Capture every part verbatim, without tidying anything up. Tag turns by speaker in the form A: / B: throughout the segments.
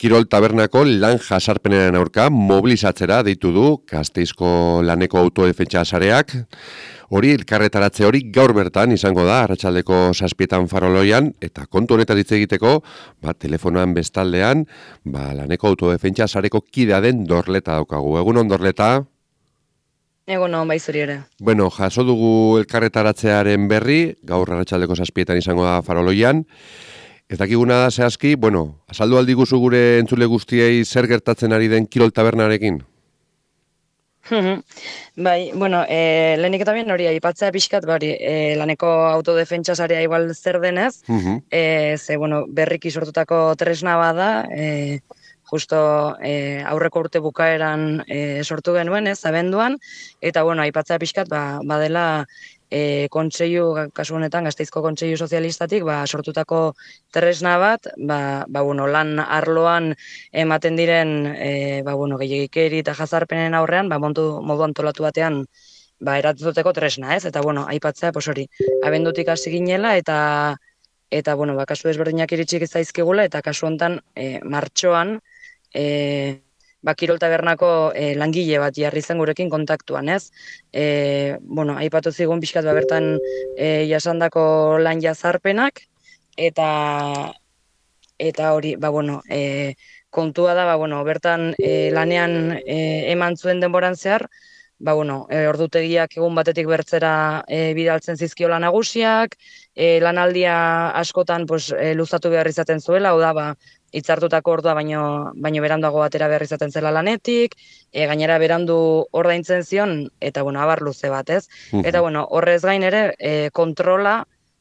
A: Kirol tabernako lan jasarpenaren aurka mobilizatzera deitu du Gasteizko laneko autodefentsa sareak. Hori elkarretaratze hori gaur bertan izango da arratsaldeko zazpietan Faroloian, eta kontu honetan hitz egiteko, ba, telefonoan bestaldean, ba, laneko autodefentsa sareko kidea den Dorleta daukagu. Egun on, Dorleta?
B: Egun on, bai zuri ere.
A: Bueno, jaso dugu elkarretaratzearen berri, gaur arratsaldeko zazpietan izango da Faroloian. Ez dakiguna da zehazki, bueno, azaldu aldiguzu gure entzule guztiei zer gertatzen ari den Kirol tabernarekin?
B: Bai, bueno, e, lehenik eta bien hori aipatzea pixkat, bari, e, laneko autodefentsa sarea igual zer denez,
A: Uh-huh.
B: e, ze, bueno, berriki sortutako tresna bada, e, justo e, aurreko urte bukaeran e, sortu genuen, ez, abenduan, eta, bueno, aipatzea pixkat, ba, badela e, kontseilu, kasu honetan, Gasteizko Kontseilu Sozialistatik, ba, sortutako tresna bat, ba, ba, bueno, lan arloan ematen diren, e, ba, bueno, gehiagikeri eta jazarpenen aurrean, ba, montu, modu antolatu batean, ba, eratzuteko tresna, ez? Eta, bueno, aipatzea, pos hori, abendutik hasi ginela, eta, eta, bueno, ba, kasu desberdinak iritsik zaizkigula, eta kasu honetan, e, martxoan, e, ba, Kirol tabernako e, langile bat jarri zen gurekin kontaktuan, ez? E, bueno, aipatu zigun pixkat ba, bertan e, jasandako lan jazarpenak, eta eta hori, ba, bueno, e, kontua da, ba, bueno, bertan e, lanean e, eman zuen denboran zehar, ba, bueno, e, ordutegiak egun batetik bertzera e, bidaltzen zizkiola nagusiak, e, lanaldia askotan pues, e, luzatu behar izaten zuela, hau da, ba, hitzartutako ordua baino, baino beranduago batera behar izaten zela lanetik, e, gainera berandu ordaintzen zion, eta, bueno, abar luze bat, ez?
A: Uh-huh.
B: Eta, bueno, horrez gain ere, e, kontrola,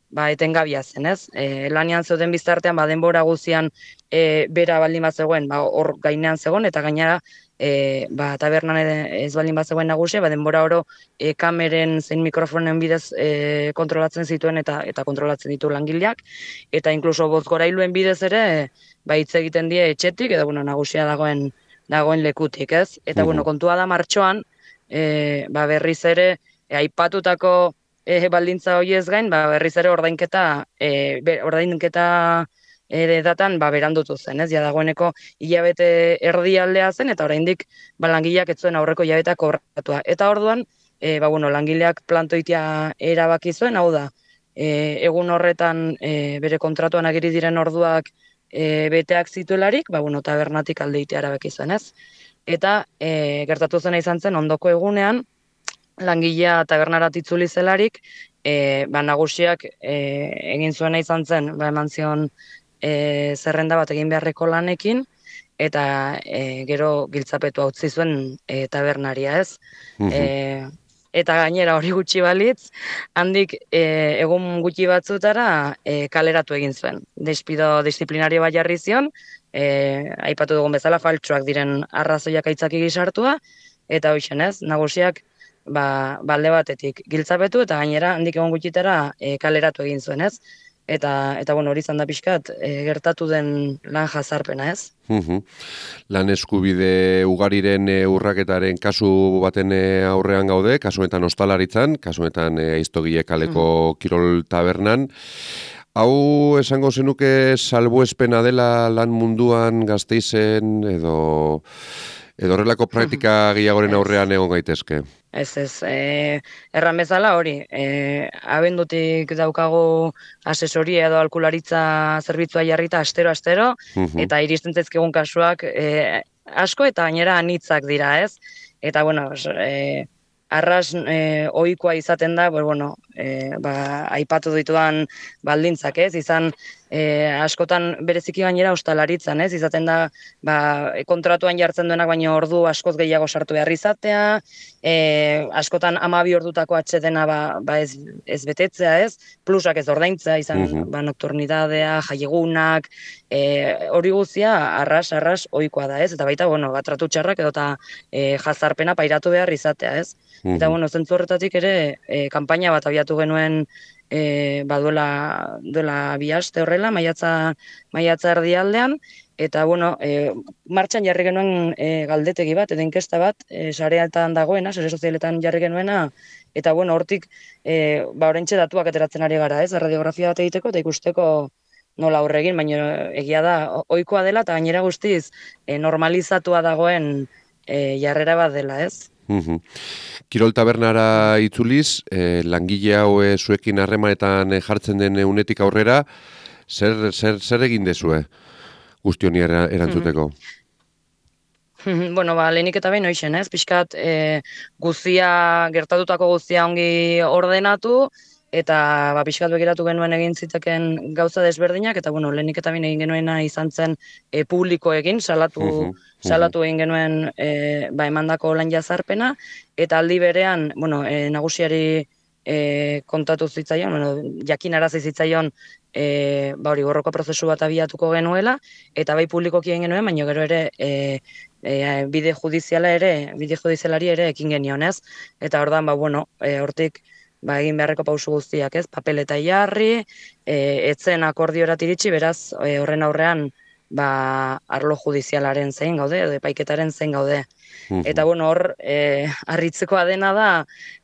B: ba, etengabia zen, ez? E, lanian zeuden biztartean, ba, denbora guzian e, bera baldin bat zegoen, ba, hor gainean zegoen, eta gainera, e, ba, tabernan ez baldin bat zegoen nagusia, ba, denbora oro e, kameren zein mikrofonen bidez e, kontrolatzen zituen eta eta kontrolatzen ditu langileak, eta inkluso bozgorailuen bidez ere, ba, hitz egiten die etxetik, edo, bueno, nagusia dagoen dagoen lekutik, ez? Eta,
A: Mhm.
B: bueno, kontua da martxoan, e, ba, berriz ere, e, aipatutako E, baldintza horiez gain, ba, berriz ere ordainketa, e, be, ordainketa ere datan ba, berandutu zen, ez? Ja dagoeneko hilabete erdialdea zen, eta oraindik ba, langileak ez zuen aurreko hilabetea kobratua. Eta orduan, e, ba, bueno, langileak plantoitia erabaki zuen, hau da, e, egun horretan e, bere kontratuan agiri diren orduak e, beteak zituelarik, ba, bueno, tabernatik aldeitea erabaki zuen, ez? Eta e, gertatu zena izan zen ondoko egunean, langilea tabernarat itzuli zelarik, e, ba, nagusiak e, egin zuena izan zen, ba, eman zion e, zerrenda bat egin beharreko lanekin, eta e, gero giltzapetua utzi zuen e, tabernaria, ez?
A: Uh-huh.
B: E, eta gainera hori gutxi balitz, handik e, egun gutxi batzutara e, kaleratu egin zuen. Despido disiplinario bat jarri zion, e, aipatu dugun bezala faltsuak diren arrazoiak aitzaki gizartua, eta hoixen, ez? Nagusiak ba, balde batetik giltzapetu eta gainera handik egon gutxitara e, kaleratu egin zuen, ez? Eta, eta bueno, hori izan da pixkat e, gertatu den lan jazarpena, ez?
A: Uh-huh. Lan eskubide ugariren e, urraketaren kasu baten e, aurrean gaude, kasuetan ostalaritzan, kasuetan e, aiztogile kaleko uh-huh. Kirol tabernan. Hau esango zenuke salbuespena dela lan munduan Gasteizen edo... edo horrelako praktika gehiagoren aurrean egon gaitezke?
B: Ez, ez, e, erran bezala hori, e, abendutik daukagu asesoria edo alkularitza zerbitzua jarrita astero-astero,
A: uh-huh.
B: eta iristen zaizkigun kasuak e, asko eta gainera anitzak dira, ez? Eta, bueno, e, arras e, ohikoa izaten da, pues, bueno, e, ba, aipatu ditudan baldintzak, ez? Izan e, askotan bereziki gainera ostalaritzan, ez? Izaten da, ba, kontratuan jartzen duenak baino ordu askoz gehiago sartu behar izatea, e, askotan hamabi ordutako atsedena ba, ba ez, ez betetzea, ez? Plusak ez ordaintzea, izan
A: uh-huh.
B: ba, nocturnidadea, jaiegunak, e, hori guztia arras, arras ohikoa da, ez? Eta baita, bueno, bat tratu txarrak edo eta e, jazarpena pairatu behar izatea, ez? Uh-huh. Eta, bueno, zentzu horretatik ere, e, kanpaina bat abiatu genuen e, ba, duela, duela bi aste horrela, maiatza, maiatza erdialdean, eta, bueno, e, martxan jarri genuen e, galdetegi bat, edo inkesta bat, e, sareetan dagoena, sare sozialetan jarri genuena, eta, bueno, hortik, e, ba, oraintxe datuak ateratzen ari gara, ez, radiografia bat egiteko, eta ikusteko, nola aurregin, baina egia da, ohikoa dela, eta gainera guztiz e, normalizatua dagoen e, jarrera bat dela, ez?
A: Mhm. Kirol tabernara itzuliz, eh, langile hau eh, zuekin harremanetan eh, jartzen den unetik aurrera, zer, zer, zer egin dezue guzti honi era- erantzuteko?
B: Bueno, ba, lehenik eta behin hoixen, ez? Pixkat e, guzia, gertatutako guzia ongi ordenatu, eta ba, pixkat begiratu genuen egin ziteken gauza desberdinak, eta bueno, lehenik eta behin egin genuena izan zen e, publiko egin, salatu,
A: Mhm, mhm.
B: salatu egin genuen e, ba, emandako lan jazarpena, eta aldi berean, bueno, e, nagusiari e, kontatu zitzaion, bueno, jakinarazi zitzaion e, ba hori borroka prozesu bat abiatuko genuela, eta bai publikoki egin genuen, baina gero ere e, e, bide judiziala ere, bide judizialari ere ekin genion, ez? Eta ordan ba, bueno, e, hortik ba, egin beharreko pausu guztiak, ez? Papeleta jarri, e, etzen akordiorat iritsi, beraz, e, horren aurrean, ba, arlo judizialaren zein gaude, edo epaiketaren zein gaude.
A: Mhm.
B: Eta bueno, hor, e, harritzekoa dena da,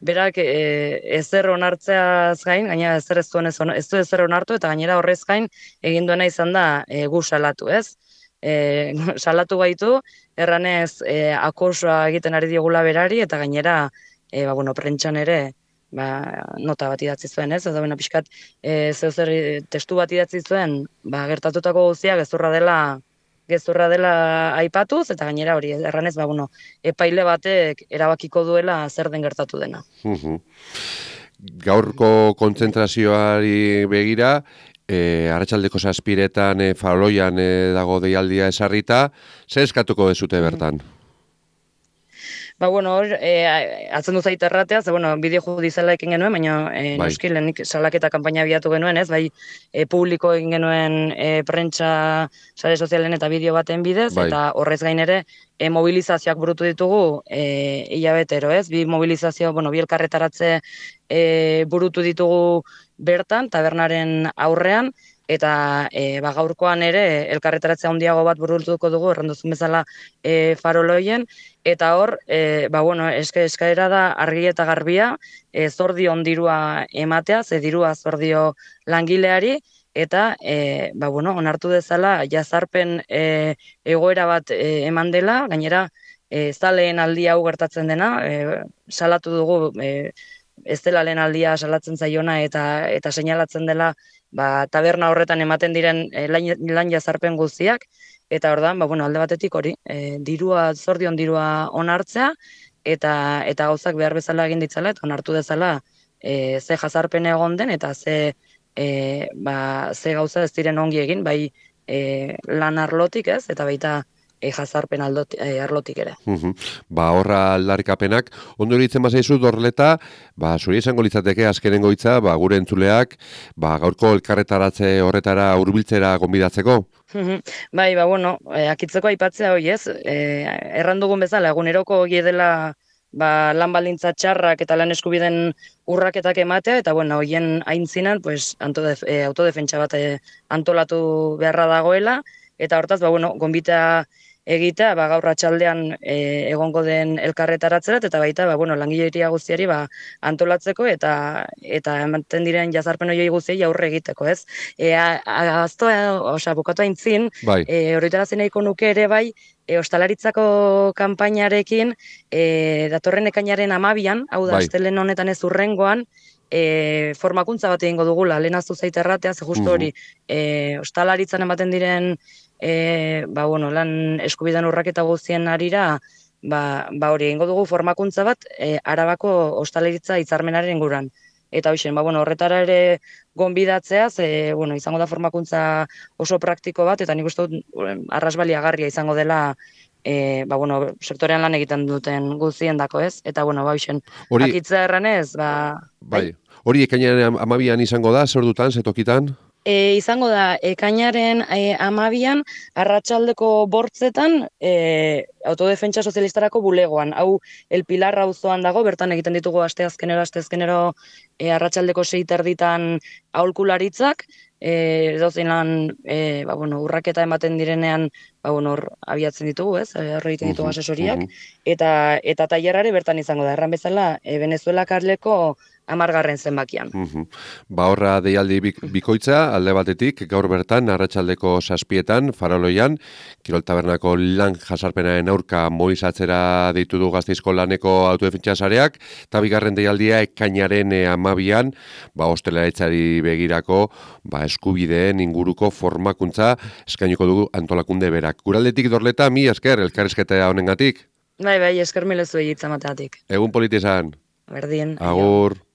B: berak e, ezer onartzeaz gain, gainera ezer ez duen ez, on- ez du ezer onartu, eta gainera horrez gain egin duena izan da e, gu salatu, ez? E, salatu gaitu, erranez e, akosoa egiten ari diogula berari, eta gainera, e, ba, bueno, prentxan ere, ba, nota bat idatzi zuen, ez? Eta bueno, pixkat, e, zeu zer e, testu bat idatzi zuen, ba, gertatutako guztia gezurra dela gezurra dela aipatuz, eta gainera hori, erranez, ba, bueno, epaile batek erabakiko duela zer den gertatu dena.
A: Mhm. Gaurko kontzentrazioari begira, e, arratsaldeko zazpiretan e, faroloian e, dago deialdia esarrita, zer eskatuko dezute bertan?
B: Ba, bueno, hor, e, atzen du zait erratea, ze, bueno, bideo judiziala ekin genuen, baina e,
A: Bai.
B: noski lehenik salaketa kanpaina abiatu genuen, ez, bai, e, publiko egin genuen e, prentsa sare sozialen eta bideo baten bidez,
A: Bai.
B: eta horrez gain ere, e, mobilizazioak burutu ditugu e, hilabetero, ez, bi mobilizazio, bueno, bi elkarretaratze e, burutu ditugu bertan, tabernaren aurrean, eta e, ba, gaurkoan ere elkarretaratzea handiago bat burutuko dugu, erranduzun bezala e, faroloien, eta hor, e, ba, bueno, eske eskaera da argi eta garbia, e, zordio ondirua ematea, ze dirua zordio langileari, eta e, ba, bueno, onartu dezala jazarpen e, egoera bat e, eman dela, gainera e, ez da lehen aldia hau gertatzen dena, e, salatu dugu e, ez dela lehen aldia salatzen zaiona eta eta seinalatzen dela ba, taberna horretan ematen diren e, lan, lan jazarpen guztiak, eta ordan, ba, bueno, alde batetik hori, e, dirua, zordion dirua onartzea, eta eta gauzak behar bezala egin ditzala, eta onartu dezala e, ze jazarpen egon den, eta ze, e, ba, ze gauza ez diren ongi egin, bai e, lan arlotik, ez, eta baita e, jazarpen aldoti, e, arlotik ere.
A: Mhm. Ba, horra aldarrikapenak, ondo iruditzen bazaizu dorleta, ba, zuri izango litzateke azkenengo hitza, ba, gure entzuleak, ba, gaurko elkarretaratze horretara hurbiltzera gonbidatzeko.
B: Mhm. Bai, ba, bueno, e, akitzeko aipatzea hoi ez, e, errandugun bezala, eguneroko hori dela ba, lan baldintza txarrak eta lan eskubiden urraketak ematea, eta bueno, hoien aintzinan, pues, antodef, e, autodefentsa bat e, antolatu beharra dagoela, eta hortaz, ba, bueno, gonbita egitea, ba, gaur atxaldean e, egongo den elkarretaratzerat, eta baita, ba, bueno, langileria guztiari ba, antolatzeko, eta eta ematen diren jazarpen horiei guztiei aurre egiteko, ez? E, Aztoa, osea, bukatu aintzin,
A: Bai.
B: e, horretarazen nahiko nuke ere bai, e, ostalaritzako kanpainarekin, e, datorren ekainaren amabian, hau da,
A: Bai.
B: astelen honetan ez urrengoan, e, formakuntza bat egingo dugula, lehenaztu zait erratea, ze justu hori, e, ostalaritzan ematen diren e, ba, bueno, lan eskubideen urraketa guztien arira, ba, ba hori egingo dugu formakuntza bat e, Arabako ostalaritza hitzarmenaren inguruan. Eta hoixen, ba, bueno, horretara ere gonbidatzea, ze, bueno, izango da formakuntza oso praktiko bat, eta nik uste dut arrasbaliagarria izango dela e, ba, bueno, sektorean lan egiten duten guztien dako, ez? Eta, bueno, ba, hoixen,
A: Hori,
B: akitza erranez, ba...
A: bai. Hori ekainaren amabian izango da, zer dutan, zetokitan?
B: E, izango da, ekainaren e, amabian, arratsaldeko bortzetan, e, autodefentsa sozialistarako bulegoan. Hau, El Pilar auzoan dago, bertan egiten ditugu asteazkenero, asteazkenero e, arratsaldeko sei terditan aholkularitzak, e, edozein lan, e, ba, bueno, urraketa ematen direnean, ba, bueno, hor abiatzen ditugu, ez? Hor egiten ditugu asesoriak, eta eta tailerrare bertan izango da. Erran bezala, e, Venezuela karleko amargarren zenbakian.
A: Uhum. Ba horra deialdi bikoitza, alde batetik, gaur bertan, arratsaldeko zazpietan, Faroloian, Kirol Tabernako lan jasarpenaren aurka moizatzera deitu du Gasteizko laneko autodefentsa sareak, eta bigarren deialdia ekainaren e, amabian, ba ostelaritzari begirako, ba eskubideen inguruko formakuntza eskainiko dugu antolakunde berak. Guraldetik Dorleta, mi esker, elkarrizketa honengatik.
B: Bai, bai, esker milezu egitzamateatik.
A: Egun politi esan.
B: Berdin.
A: Agur.